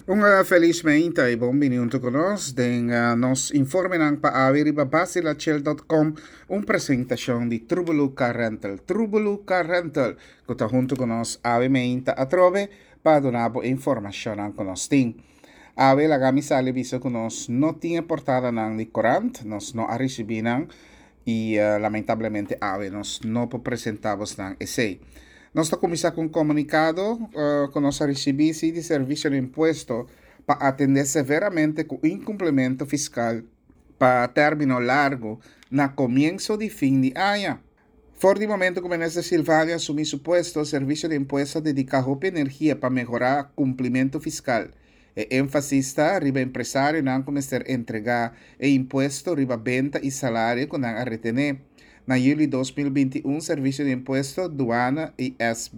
Un felis meinta y bon bini hunto cu nos den nos informenan pa awe riba basilachel.com, un presentacion di Trubelu Car Rental. Trubelu Car Rental, cu ta hunto cu nos awe meinta atrobe pa duna bo informacionnan cu nos tin. Awe laga mi sali bisa cu nos no tin e portadanan di corant, nos no a ricibi nan y lamentablemente awe nos no por presenta bosnan esey. Nos ta cuminsa cu un comunicado cu nos a ricibi si di Servicio di Impuesto pa atende severamente cu incumplimento fiscal pa termino largo na comienso di fin di aña. For di momento cu Minister Silvania asumi su puesto, Servicio di Impuesto a dedica hopi energia pa mehora cumplimento fiscal. E énfasis ta riba empresarionan ku mester entregá e impuesto riba benta i salario ku nan a retené. Na yüli 2021 Servisio di Impuesto, Duana i SB,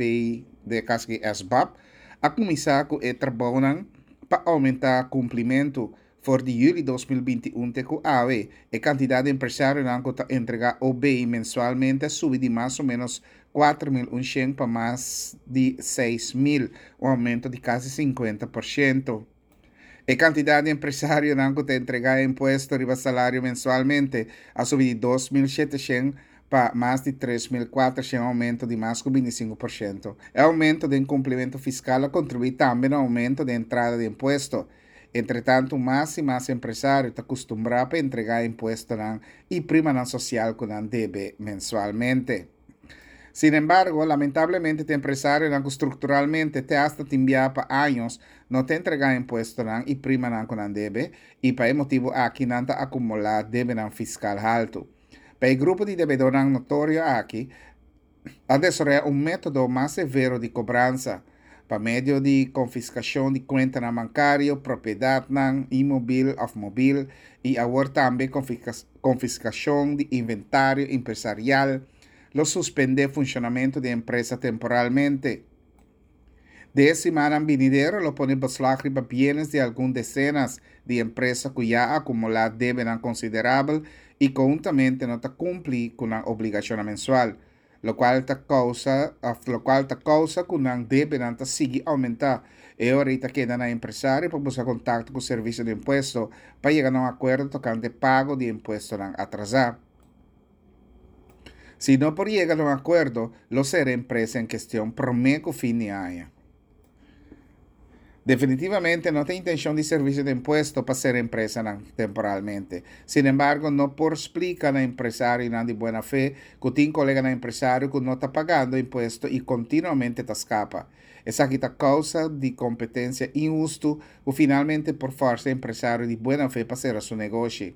den e kaso aki SBAB, a kuminsá ku e trabounan pa oumentá kumplimentu. For di yüli 2021 te ku awe, e kantidat di empresarionan ku ta entregá OB mensualmente a subi di mas o ménos 4100 pa mas di 6000, un aumento di kasi 50%. E kantidat di empresarionan ku ta entregá e impuesto riba salario mensualmente a subi di 2700 pa mas di 3400, un aumento di mas ku 25%. E aumento den kumplimentu fiskal a kontribuí tambe na aumento den entrada di impuesto. Entretantu, mas i mas empresario ta kustumbrá pa entregá e impuestonan i primanan sosial ku nan debe mensualmente. Sin embargo, lamentablemente tin empresarionan ku strukturalmente te asta tin bia pa años no ta entregá impuestonan i primanan ku nan debe i pa e motibu aki nan ta akumulá debenan fiskal haltu. Pa e grupo di debedónan notorio aki, a desaroyá un método mas severo di kobransa, pa medio di konfiskashon di kuentanan bankario, propiedatnan inmobil òf mobil i awor tambe konfiskashon di inventario empresarial, lo suspendé funshonamentu di e empresa temporalmente. Den e simannan binidero lo pone beslag riba bienes di algun desenas di empresa ku ya a akumulá debenan konsiderabel i konhuntamente no ta kumpli ku nan obligashonnan mensual, lokual ta kousa òf lokual ta kousa ku nan debenan ta sigui oumentá. E ora ei ta keda na e empresario pa buska kontakto ku Servisio di Impuesto pa yega na un akuerdo tokante pago di e impuestonan atrasá. Si no por yega na un akuerdo, lo sera e empresa en kestion promé ku fin di aña. Definitivamente no ta intenshon di Servisio di Impuesto pa sera empresanan temporalmente. Sin embargo, no por splika na empresarionan di buena fe ku tin koleganan empresario ku no ta pagando impuesto i kontinuamente ta skapa. Esaki ta kousa di kompetensia inhustu ku finalmente por fòrsa empresario di buena fe pa sera su negoshi.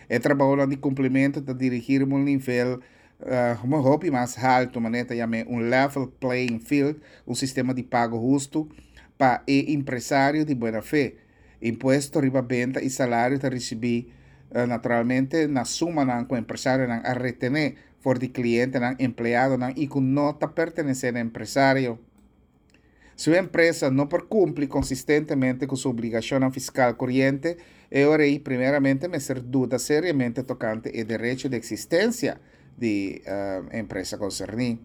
E trabounan di kumplimentu ta dirigí riba un nivel hopi mas haltu, manera ta yam'é un level playing field, un sistema di pago hustu pa e impresario di buena fe. Impuesto riba benta i salario ta risibí naturalmente na sumanan ku empresarionan a retené for di klientenan, empleadonan i ku no ta pertenesé na empresario. Si un empresa no por kumpli konsistentemente ku su obligashonnan fiskal koriente, e ora ei primeramente mester duda seriamente tokante e derecho di eksistensia di e empresa konserní.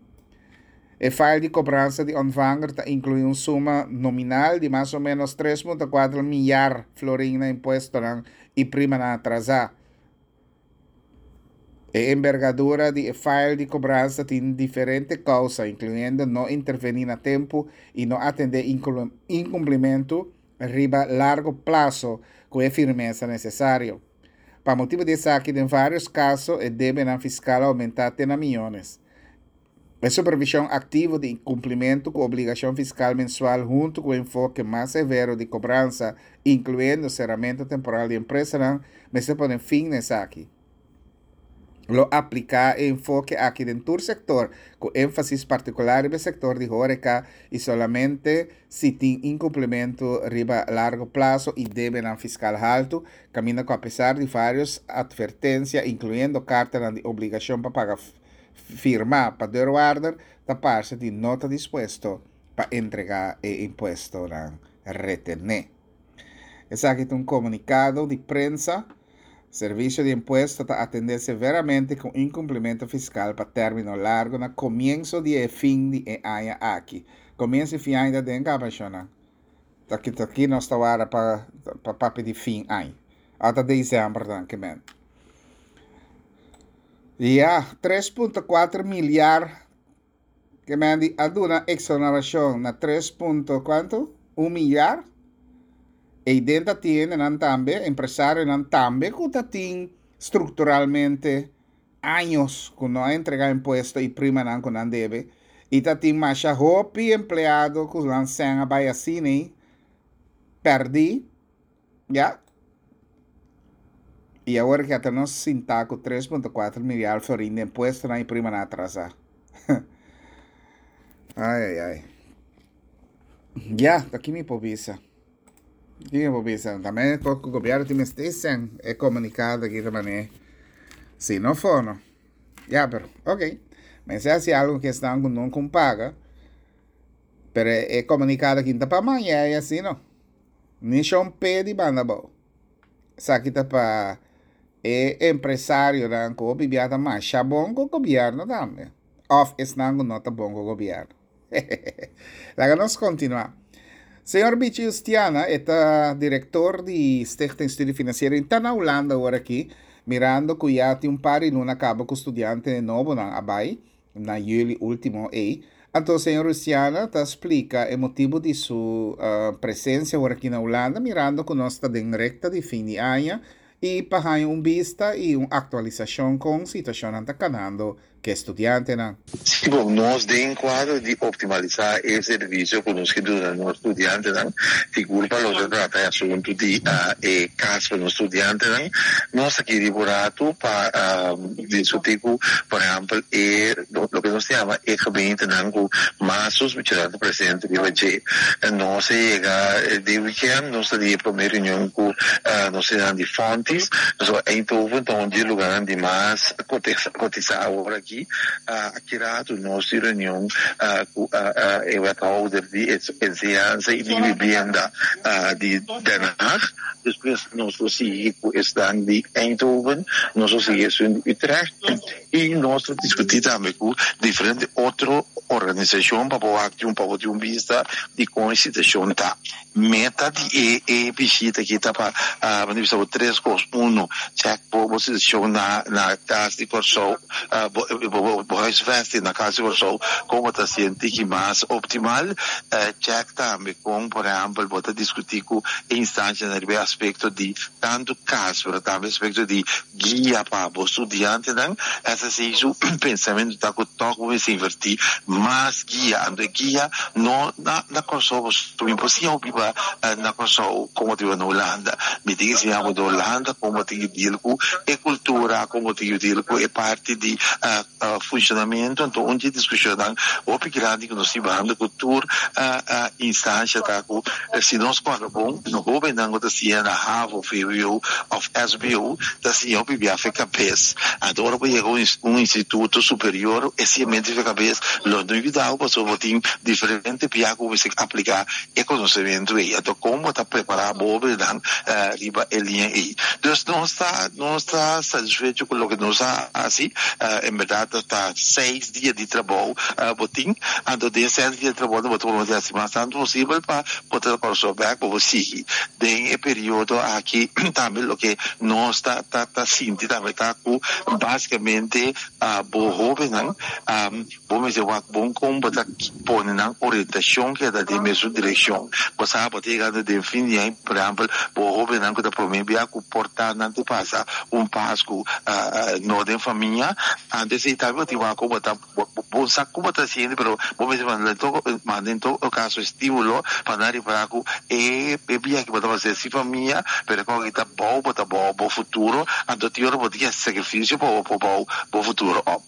E fail di kobransa di ontvanger ta inkluí un suma nominal di mas o ménos 3,4 miar florin na impuestonan i primanan atrasá. E embergadura di e fail di kobransa tin diferente kousa, inkluyendo no intervení na tempu i no atendé inkumplimentu riba largo plaso ku e firmesa nesesario. Pa motibu di esaki den vários kaso e debenan fiskal a oumentá te na miónes. E supervishon aktivo di kumplimentu ku obligashon fiskal mensual huntu ku enfoke mas severo di kobransa, inkluyendo seramentu temporal di empresanan, mester pone fin na esaki. Lo apliká e enfoke aki den tur sektor, ku énfasis partikular riba e sektor di hóreka i solamente si tin inkumplimentu riba largo plaso i debenan fiskal haltu, kaminda ku apesar di vários atvertensia, inkluyendo kartanan di obligashon pa paga firmá pa deurwaarder ta parse di no ta dispuesto pa entregá e impuestonan retené. Esaki ta un komunikado di prensa. Servisio di Impuesto ta atendé severamente ku inkumplimentu fiskal pa término largu na komienso di e fin di e aña aki. Komienso i fin aña ta den kaba, shonnan. Ta ki ta ki nos ta wara pa pa papia di fin aña. Ata december dan ke men. Ya, 3.4 milyar ke men di a duna exoneracion na 3 punto cuanto? 1 milyar. Eiden ta tiendenan tambe, empresarionan tambe ku ta tin structuralmente años ku no a entrega impuesto i primanan ku nan debe i ta tin masha hopi empleado ku nan sèn a bai asina pèrdí ya i awor ke ata nos sintá ku 3.4 milyar florin di impuestonan i primanan atrasá. Ai ai ai. Ya, ta ki mi por bisa. Ki mi por bisa. Tambe ku gobierno tin mester sèn e komunikado aki ta manera si no fono. Ya, pero ok. Mester hasi algo ku esnan ku no kon paga. Pero e komunikado aki no ta pa maña i asina no. Ni shon pe di banda abou. Esaki ta pa e empresarionan ku hopi bia ta masha bon ku gobierno tambe. Òf esnan ku no ta bon ku gobierno. Laga nos kontinuá. Señor Bichi Justiana, e ta direktor di Stichting Studie Financiero i ta na Hulanda awor aki, mirando ku ya tin un par di luna kaba ku studiante nobonan a bai na yüli último ei. Anto señor Justiana ta splika e motibu di su presensia awor aki na Hulanda, mirando ku nos ta den rekta di fin di aña i pa haña un bista i un aktualisashon kon situashonnan ta kanando ku e studiantenan. Sí, bon, nos den kuadro di optimalisá e servisio ku nos ke duna nos studiantenan, sigur pa loke ta trata e asuntu di e kas pa nos studiantenan, nos ta kiri por ratu pa diskutí ku, por ehèmpel, e loke nos ta yama e gemeentenan ku mas sospechonan ta presente riba dje. Nos a yega den wikènt, nos ta di e promé reunion ku nos esnan di Fontis, pasobra Eindhoven ta un di e lugarnan di mas Kotisa awor aki, aki ratu nos tin reunion ku e wethouder di enseñansa i di vivienda di Den Haag. Despues nos lo sigui ku esnan di Eindhoven, nos lo sigui esun di Utrecht i nos lo diskutí tambe ku diferente otro organisashon pa por wak pa por tin un bista di kon e situashon ta. Meta di e e bishita aki ta pa bo ta bisa bo tres kos, uno, chèk bo bo situashon na na kas di Kòrsou, bo bo huisvesting na kas di Kòrsou kon bo ta sinti ki mas optimal, chèk tambe kon por ehèmpel bo ta diskutí ku e instanshanan riba e aspekto di tantu kas pero tambe aspekto di Guia pa bo studiantenan. SSI su pensamentu ta ku tòg bo mester invertí mas guia. Anto e guia no na na Kòrsou pasobra mi por siña bo biba na Kòrsou kon bo ta biba na Hulanda. Mi tin ke siña bo na Hulanda kon bo tin ke deal ku e kultura, kon bo tin ke deal ku e parti di funshonamentu. Anto un di e diskushonnan hopi grandi ku nos tin bahando ku tur instansha ta ku Si nos kòrda bon, no hóbennan ku ta siña na havo, vwo òf sbo ta siña hopi bia fe kabes. Anto ora bo yega un instituto superior e siñamentu di fe kabes lo no yuda bo pasobra bo tin diferente bia ku bo mester apliká e konosementu ei. Anto kon bo ta prepará bo hóbennan riba e liña ei? Dus nos ta nos ta satisfecho ku loke nos a hasi. En bèrdat ta seis dia di trabou bo tin, anto den e seis dia di trabou bo ta por hasi mas tantu posibel pa bo ta Kòrsou bèk pa bo sigui den e periodo aki. Tambe loke nos ta ta sinti tambe ta ku basikamente bo hóbennan bo mester wak bon kon bo ta pone nan orientashon keda den mesun direkshon. Bo sa bo ta yegando den fin di aña, por ehèmpel bo hóbennan ku ta promé bia ku por ta nan ta pasa un Pasku no den famia. Antes ei tambe bo tin wak ku bo ta bo sa ku bo ta hasiendo pero bo mester manda en todo manda en todo kaso estimulo pa nan ripará ku e e biaha ku bo ta hasi sin famia pero kon aki ta bou bo ta bou bo futuro anto tin ora bo tin ke hasi sakrifisio pa bo por bou bo futuro op.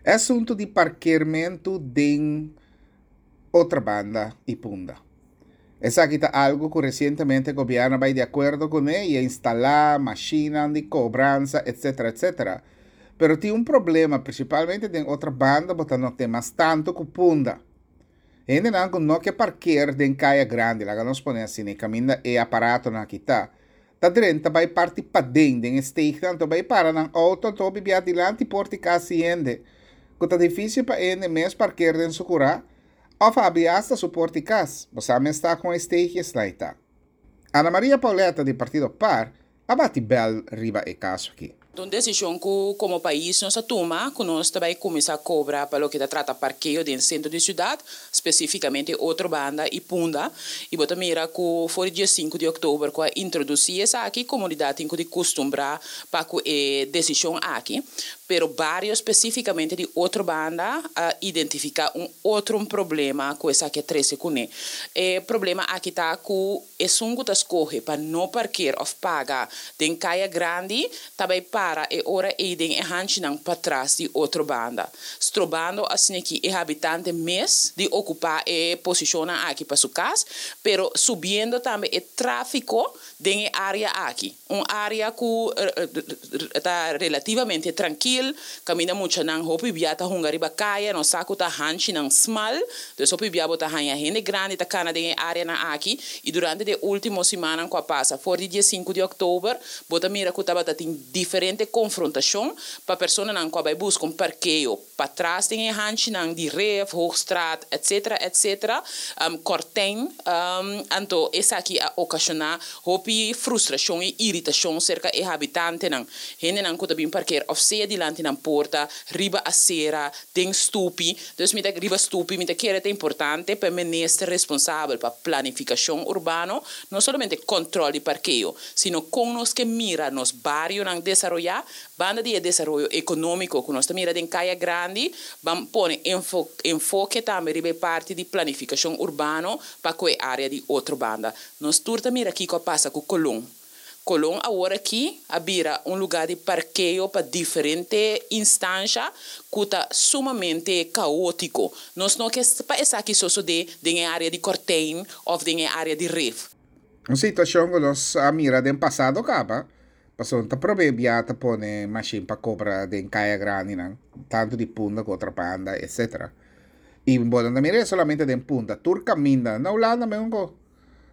E asuntu di parkeermentu den Otrabanda i Punda. Esaki ta algu ku resientemente gobièrnu a bai di akuerdo kuné i a instalá mashinnan di kobransa etc. Etc. Pero tin un problema, prinsipalmente den Otrabanda bo ta not'é mas tantu ku Punda. Hendenan ku no ke parker den kaya grandi, laga nos pone asina, e kaminda e aparatonan aki ta, ta drenta bai parti paden den e steegnan anto bai para nan outo anto hopi bia dilanti porti kas di hende ku ta difisil pa e hende mes parker den su kurá. Òf habri asta su porta di kas, bo sa mes ta kon e steegje esnan ta. Ana Maria Pauletta di partido par a bati bèl riba e kaso aki. Ta un desishon ku komo pais nos a tuma ku nos ta bai kuminsá kobra pa loke ta trata parkeo den sentro di siudat, spesífikamente Otrobanda i Punda. I bo ta mira ku for di dia sinku di òktober ku a introdusí esaki, komunidat tin ku di kustumbrá pa ku e desishon aki. Pero bario spesífikamente di Otrobanda a identifiká un otro un problema ku esaki a trese kuné. E problema aki ta ku esun ku ta skohe pa no parker òf paga den kaya grandi ta bai para e ora ei den e hanchinan patras di Otrobanda, strobando asin'aki e habitante mes di okupá e posishonnan aki pa su kas, pero subiendo tambe e tráfiko den e área aki. Un área ku ta relativamente trankil, kaminda muchanan hopi bia ta hunga riba kaya, nos sa ku ta hanchinan smal, dus hopi bia bo ta haña hende grandi ta kana den e áreanan aki i durante di e último simannan ku a pasa for di dia sinku di òktober bo ta mira ku tabata tin diferente konfrontashon pa personanan ku a bai buska un parkeo patras den e hanchinan di Ref, Hoogstraat, etc. Etc. Kortijn, anto esaki a okashoná hopi frustrashon i iritashon serka e habitantenan. Hendenan ku ta bin parker òf sea dilanti nan porta, riba asera, den stupi. Dus mi ta riba stupi, mi ta kere ta importante pa e minister responsabel pa planifikashon urbano no solamente kòntròl di parkeo, sino kon nos ke mira nos barionan desaroyá Banda di e desaroyo ekonómiko ku nos ta mira den Kaya Grandi, ban pone enfoke tambe riba e parti di planifikashon urbano pa ku e área di Otrobanda. Nos tur ta mira kiko a pasa ku Colon. Colon awor aki a bira un lugá di parkeo pa diferente instansha ku ta sumamente kaótiko. Nos no ke pa esaki sosodé den e área di Kortijn òf den e área di Rif. Un situashon ku nos a mira den pasado kaba. Pasobra ta prome bia ta pone mashin pa kobra den kaya grandinan, tantu di Punda ku Otrabanda, etcetera. I bo no ta mira e solamente den Punda, tur kaminda, na Hulanda mesun ko.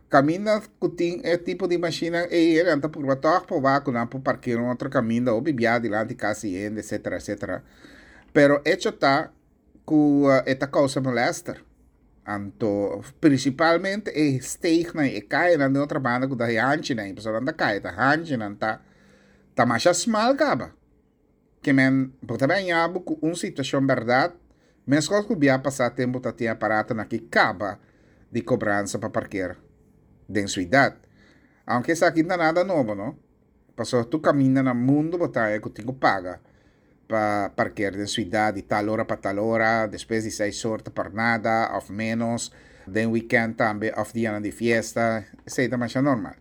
Kaminda ku tin e tipo di mashinnan ei, nan ta purba tòg pa wak ku nan por parkera un otro kaminda hopi bia dilanti kas di hende, etcetera, etcetera. Pero echo ta ku e ta kousa molèster. Anto prinsipalmente e steegnan, e kayanan den otro banda ku ta e hanchinan, e pasobra nan ta kaya ta hanchinan ta ta masha smal kaba. Ke men bo ta baña bo ku un situashon bèrdat meskos ku bia pasá tempu ta tin aparatonan ki kaba di kobransa pa parker den suidat. Aunke esaki no ta nada nobo no, pasobra tur kaminda na mundu bo ta haña ku tin ku paga. pa parker den suidat di tal ora pa tal ora, despues di seis or ta par nada of menos, den weekend tambe of dianan di fiesta, esei ta masha normal.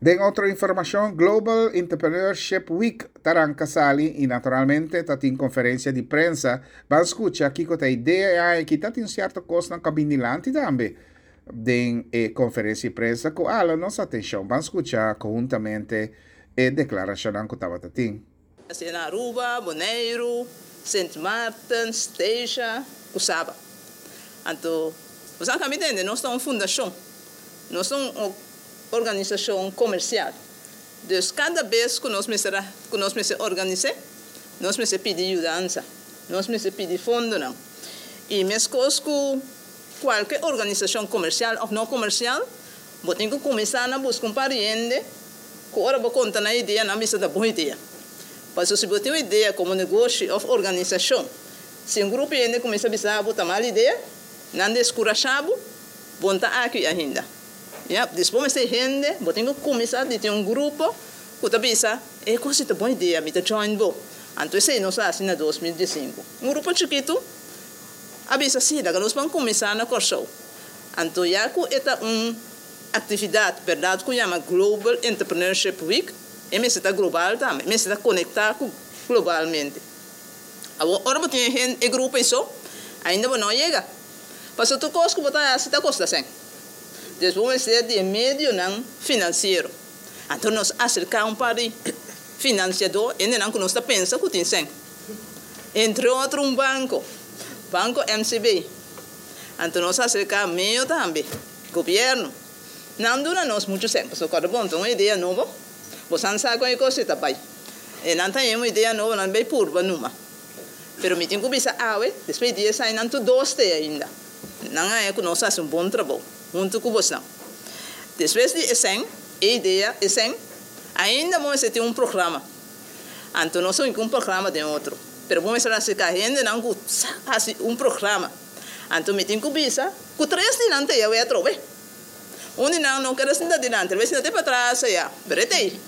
Den otro informacion, Global Entrepreneurship Week ta ranca sali y naturalmente ta tin conferencia di prensa, ban scucha kico ta idea e aña aki, ta tin cierto cosnan cu a bin dilanti tambe den e conferencia di prensa cu a hala nos atencion, ban scucha conhuntamente e declaracionnan cu tabata tin. Asina na Aruba, Boneiru, Sint Maarten, Statia ku Saba. Anto boso a kambia tende, nos ta un fundashon, nos ta un organisashon komersial. Dus kada bes ku nos mester a ku nos mester organis'é, nos mester pidi yudansa, nos mester pidi fondonan. I meskos ku kualke organisashon komersial òf no komersial, bo tin ku kuminsá na buska un par di hende Ku ora bo konta nan idea, nan bisa ta bon idea. Pasobra si bo tin un idea komo negoshi òf organisashon, si un grupo hende kuminsá bisa bo ta mal idea, nan deskurashá bo, bo no ta aki ainda. Ya, dus bo mester hende, bo tin ku kuminsá di tin un grupo ku ta bisa, e kos si ta bon idea, mi ta join bo. Anto esei nos a hasi na 2015. Un grupo chikitu a bisa, sí, laga nos ban kuminsá na Kòrsou. Anto ya ku e ta un. Aktividat bèrdat ku yama Global Entrepreneurship Week, e mester ta global tambe, e mester ta konektá ku globalmente. Awor ora bo tin e hende, e grupo ei so, ainda bo no a yega. Pasobra tur kos ku bo ta hasi ta kosta sèn. Dus bo mester di e medionan finansiero. Anto nos aserká un par di finansiadó, hendenan ku nos ta pensa ku tin sèn. Entre otro un banko, Banko MCB. Anto nos aserká meo tambe. Gobierno. Nan duna nos mucho sèn pasobra kòrda bon ta un idea nobo, bosan sa kon e kos ta bai. E nan ta un idea nobo nan bai purba numa. Pero mi tin ku bisa awe, despues di dies aña nan tur dos te ainda. Nan a haña ku nos a hasi un bon trabou huntu ku bosnan. Despues di esei, e idea, esei, ainda bo mester tin un programa. Anto nos a hinka un programa den otro. Pero bo mester aserká hendenan ku sa hasi un programa. Anto mi tin ku bisa ku tres di nan ta yawe atrobe. Un di nan no keda sinta dilanti, el bai sinta te patras ayá, pero e ta ei.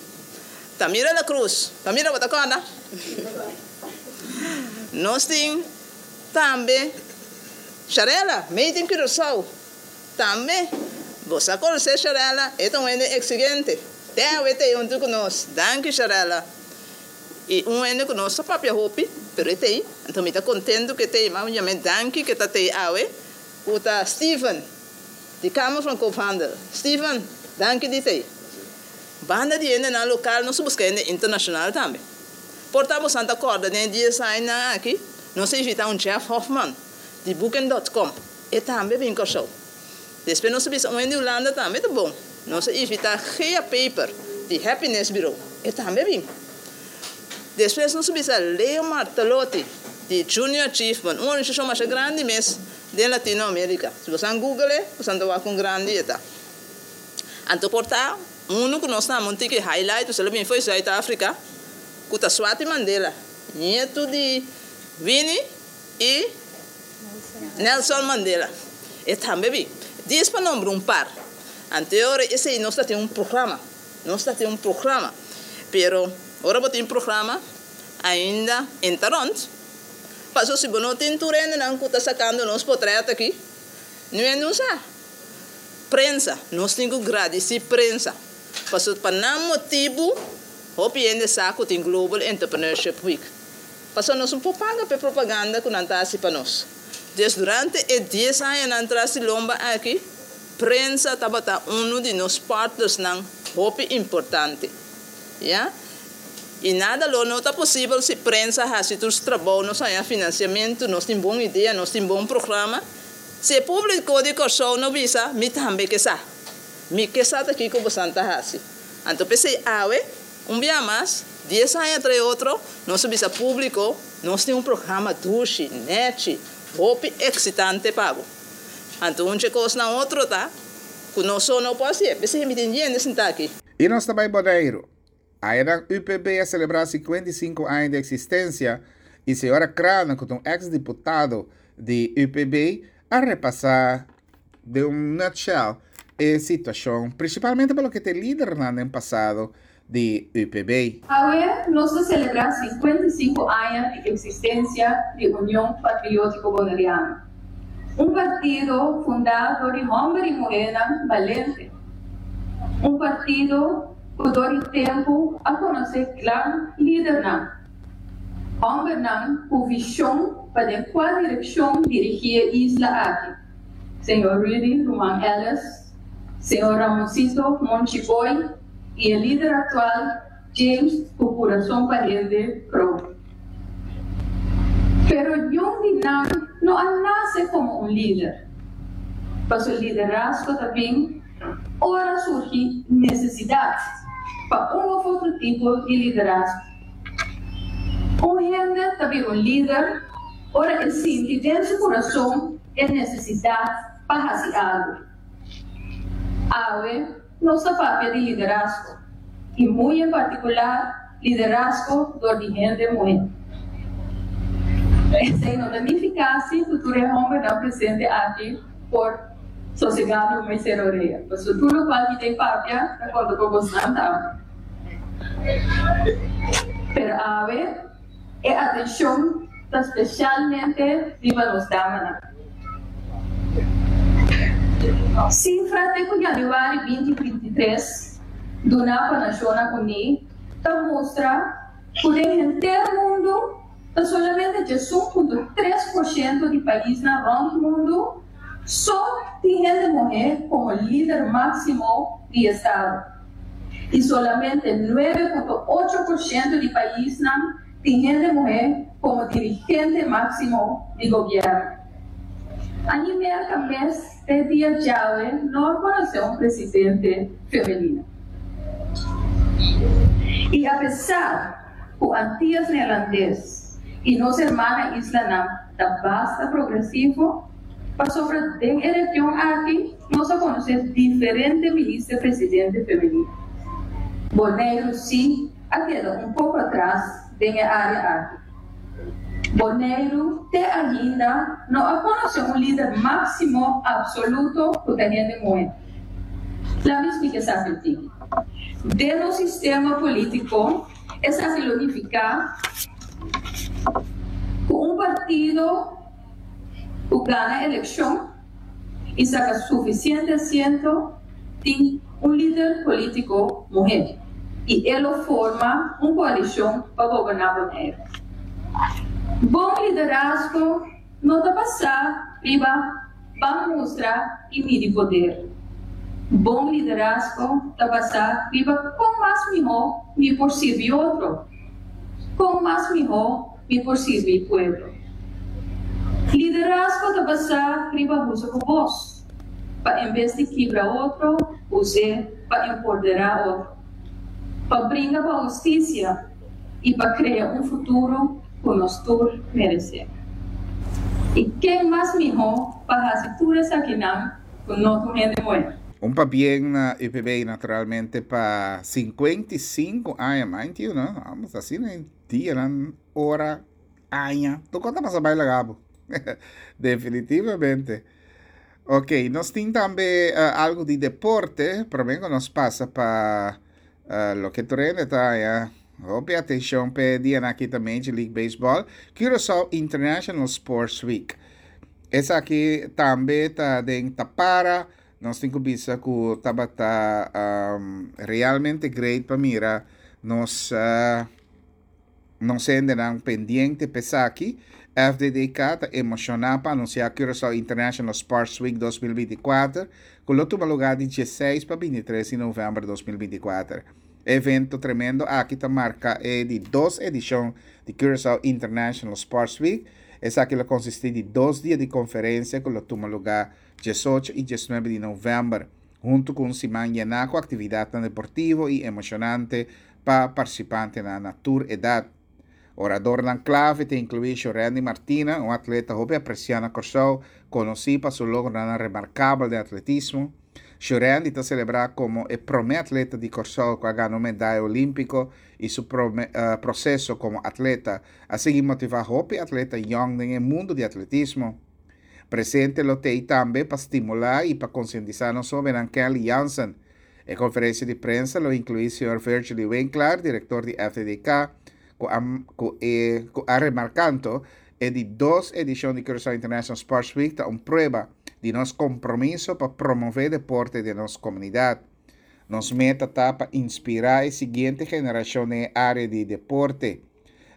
Tamira La Cruz, Tamira bo ta kòrda? Nos tin tambe Sharela, made in Curaçao, tambe. Bo sa konosé Sharela, e ta un hende eksigente. Te awe ta ei huntu ku nos. Danki Sharela. I un hende ku nos ta papia hopi, pero e ta ei. Anto mi ta kontentu ku e ta ei. M'a yam'é danki ku e ta ta ei awe, ku ta Steven di Kamer van Koophandel. Steven, danki di ta ei. Banda di hendenan lokal nos ta buska hende internashonal tambe. Por ta bosan ta kòrda den e dies añanan aki nos a invitá un Jeff Hoffman di Booking dot com. E tambe bin Kòrsou. Despues nos a bisa un hende di Hulanda tambe ta bon. Nos a invitá Gea Peper di Happiness Bureau. E tambe bin. Despues nos a bisa Leo Martelotti di Junior Achievement, un organisashon masha grandi mes den Latino Amerika. Si bosan google e, bosan ta wak kon grandi e ta. Anto por ta unu ku nos ta un tiki highlight, pasobra el a bin for di Zuid Afrika, ku ta Swati Mandela, nietu di Winnie i Nelson Mandela. E tambe bin. Dies pa nombra un par. Anto e ora esei nos ta tin un programa. Nos ta tin un programa. Pero ora bo tin programa ainda e ta rond. Pasobra si bo no tin tur hendenan ku ta sakando nos potret aki, nu hende un sa. Prensa, nos tin ku gradisí prensa, pasobra pa nan motibu hopi hende sa ku tin Global Entrepreneurship Week. Pasobra nos no por paga pa e propaganda ku nan ta hasi pa nos. Des durante e dies añanan tras di lomba aki, prensa tabata unu di nos partnersnan hopi importante. Ya. I nada lo no ta posibel si prensa hasi tur su trabou, nos haña finansiamentu, nos tin bon idea, nos tin bon programa. Si e públiko di Kòrsou no bisa, mi tambe ke sa. Mi ke sa ta kiko bosan ta hasi. Anto p'esei awe, un bia mas, dies aña tra e otro, nos a bisa públiko, nos tin un programa dushi, nèchi, hopi eksitante pa bo. Anto un dje kosnan otro ta ku nos so no por hasié. P'esei mi tin yende sintá aki. I nos ta bai Boneiru. Ayanan UPB a selebrá 55 aña di eksistensia i señora Craane ku ta un eks diputado di UPB a repasá den un nutshell e situashon prinsipalmente pa loke ta e lidernan den pasado di UPB. Awe nos ta selebrá 55 aña di eksistensia di Union Patriótiko Boneriano, un partido fundá dor di hòmber i muhénan balente, un partido ku dor di tempu a konosé gran lidernan, hòmbernan ku vishon pa den kua direkshon dirigí e isla aki, señor Rudy Ruman Ellis, señor Ramoncito Monchi Boy i e lider aktual James ku kurason pa hende Kroon. Pero niun di nan no a nase komo un lider, pasobra liderazgo ta bin Ora surgi nesesidat pa un of otro tipo di liderazgo. Un hende ta bira un lider ora e sinti den su kurason e nesesidat pa hasi algu. Awe nos ta papia di liderazgo i muy en partikular liderazgo dor di hende muhé. Esei no ta nifiká si ku tur e hòmbernan presente aki por Sosegá no mester orea, pasobra tur lokual ki den papia ta konta pa bosnan tambe. Pero awe e atenshon ta spesialmente riba nos damanan. Sifra te ku yanüari 2023 duná pa Nashonnan Uní ta mustra ku den henter mundu ta solamente 11.3% di paisnan rònt mundu So tin hende muhé komo lider máksimo di estado i solamente 9.8% di paisnan tin hende muhé komo dirigente máksimo di gobièrnu. Añi Merka mes te dia djawe no a konosé un presidente femenino. I apesar ku Antias Neerlandes i nos hermana islanan ta basta progresivo. Pasobra den e region aki nos a konosé diferente minister presidente femenino. Boneiru sí a keda un poko atras den e área aki. Boneiru te ainda no a konosé un lider máksimo apsoluto ku ta hende muhé. Laat mi splika esaki un tiki. Den nos sistema polítiko esaki lo nifiká ku un partido ku gana elekshon i saka sufisiente asiento tin un lider polítiko muhé i e lo forma un koalishon pa goberná Boneiru. Bon liderazgo no ta basá riba ban mustra i midi poder. Bon liderazgo ta basá riba kon mas mihó mi por sirbi otro, kon mas mihó mi por sirbi pueblo. Liderazgo ta basá riba usa bo bos pa en bes di kibra otro, us'é pa empoderá otro, pa bringa pa hustisia i pa krea un futuro ku nos tur meresé. I ken mas mihó pa hasi tur esakinan ku no tur hende muhé? Un pabien na UPB naturalmente pa 55 aña, mind you no, amos asina Dianan, ora, aña, tur kos ta pasa bai laga bo. Definitivamente. Ok, nos tin tambe uh, algo di deporte, promé ku nos pasa pa uh, loke tur hende ta haña hopi atenshon p'e dianan aki ta Major League Baseball, Curaçao International Sports Week. Esaki tambe ta den Tapara, nos tin ku bisa ku tabata um, realmente great pa mira nos uh, nos hendenan pendiente p'esaki. FDDK ta emoshoná pa anunsiá Curaçao International Sports Week 2024, ku lo tuma lugá di 16 pa 23 di novèmber 2024. E evento tremendo aki ta marka e di dos edishon di Curaçao International Sports Week. Esaki lo konsistí di dos dia di konferensia ku lo tuma lugá 18 i 19 di novèmber, huntu ku un siman yená ku aktividatnan deportivo i emoshonante pa partisipantenan na tur edat. Oradornan klave ta inkluí Shorandy Martina, un atleta hopi apresiá na Kòrsou, konosí pa su logronan remarkabel den atletismo. Shorandy ta selebrá komo e promé atleta di Kòrsou ku a gana un medaya olímpiko i su proseso komo atleta a sigui motivá hopi atleta yòn den e mundu di atletismo. Presente lo t'ei tambe pa stimulá i pa konsientisá nos hóbennan Kelly Jansen. E konferensia di prensa lo inkluí señor Virgily Winklaar, direktor di FDDK, ku a ku e ku a remarkanto e di dos edishon di Curaçao International Sports Week ta un prueba di nos kompromiso pa promové deporte den nos komunidat. Nos meta ta pa inspirá e siguiente generashon den e área di deporte.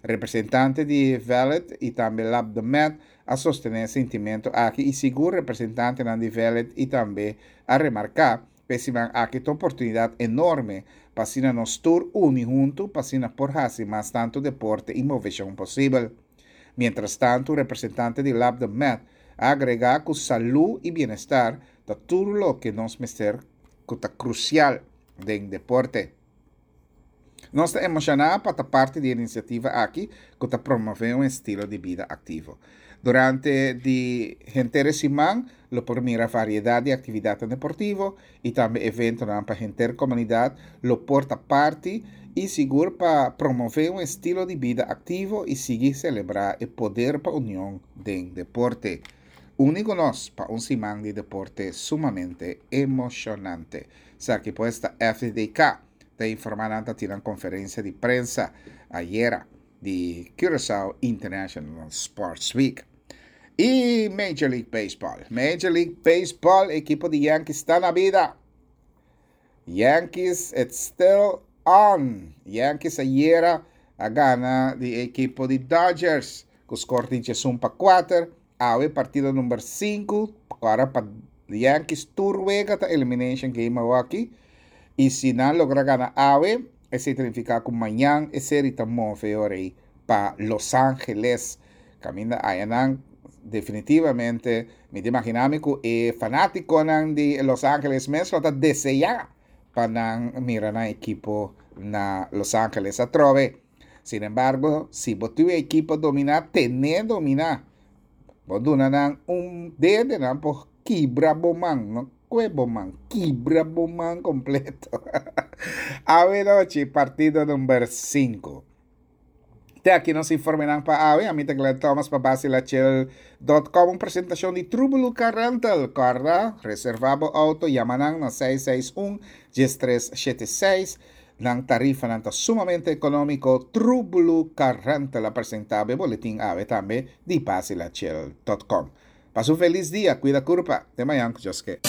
Representante di Vellet i tambe Lab de Met a sostené e sintimentu aki i sigur representantenan di Vellet i tambe a remarká ku e siman aki ta un oportunidat enorme pa asina nos tur uni huntu pa asina por hasi mas tantu deporte i moveshon posibel. Mientrastantu un representante di Lab de Met a agregá ku salú i bienestar ta tur loke nos mester ku ta krusial den deporte. Nos ta emoshoná pa ta parti di e inisiativa aki ku ta promové un estilo di bida aktivo. Durante di henter e siman lo por mira variedat di aktividatnan deportivo i tambe eventonan pa henter komunidat lo por ta parti i sigur pa promové un estilo di bida aktivo i sigui selebrá e poder pa union den deporte. Uni ku nos pa un siman di deporte sumamente emoshonante. Esaki pues ta FDK ta informa nan ta tin nan conferencia di prensa ayera di Curaçao International Sports Week. Y Major League Baseball. Major League Baseball, equipo di Yankees ta na bida. Yankees, it's still on. Yankees ayera a gana di equipo di Dodgers cu score di 11-4. Awe partido number 5, para pa Yankees tur wega ta elimination game awoki. I si nan logra gana awe, esei ta nifiká ku mañan e seri ta move ora ei pa Los Angeles. Kaminda ayanan definitivamente mi ta imaginá mi ku e fanátikonan di Los Angeles mes lo ta deseá pa nan mira nan ekipo na Los Angeles atrobe. Sin embargo, si bo tin un ekipo dominá, ten'é dominá. Bo duna nan un dede, nan por kibra bo man, no kue bo man, kibra bo man kompleto. Awe nochi, partido number sinku. Te aki nos informenan pa awe. Ami ta Glenn Thomas pa Basilachel dot com, un presentashon di Trubelu Car Rental. Kòrda, reservá bo outo, yama nan na 661 1376. Nan tarifanan ta sumamente ekonómiko. Trubelu Car Rental a presentá bo e boletin awe tambe di Basilachel dot com. Pasa un felis dia, kuida kurpa. Te mañan ku Dios ke.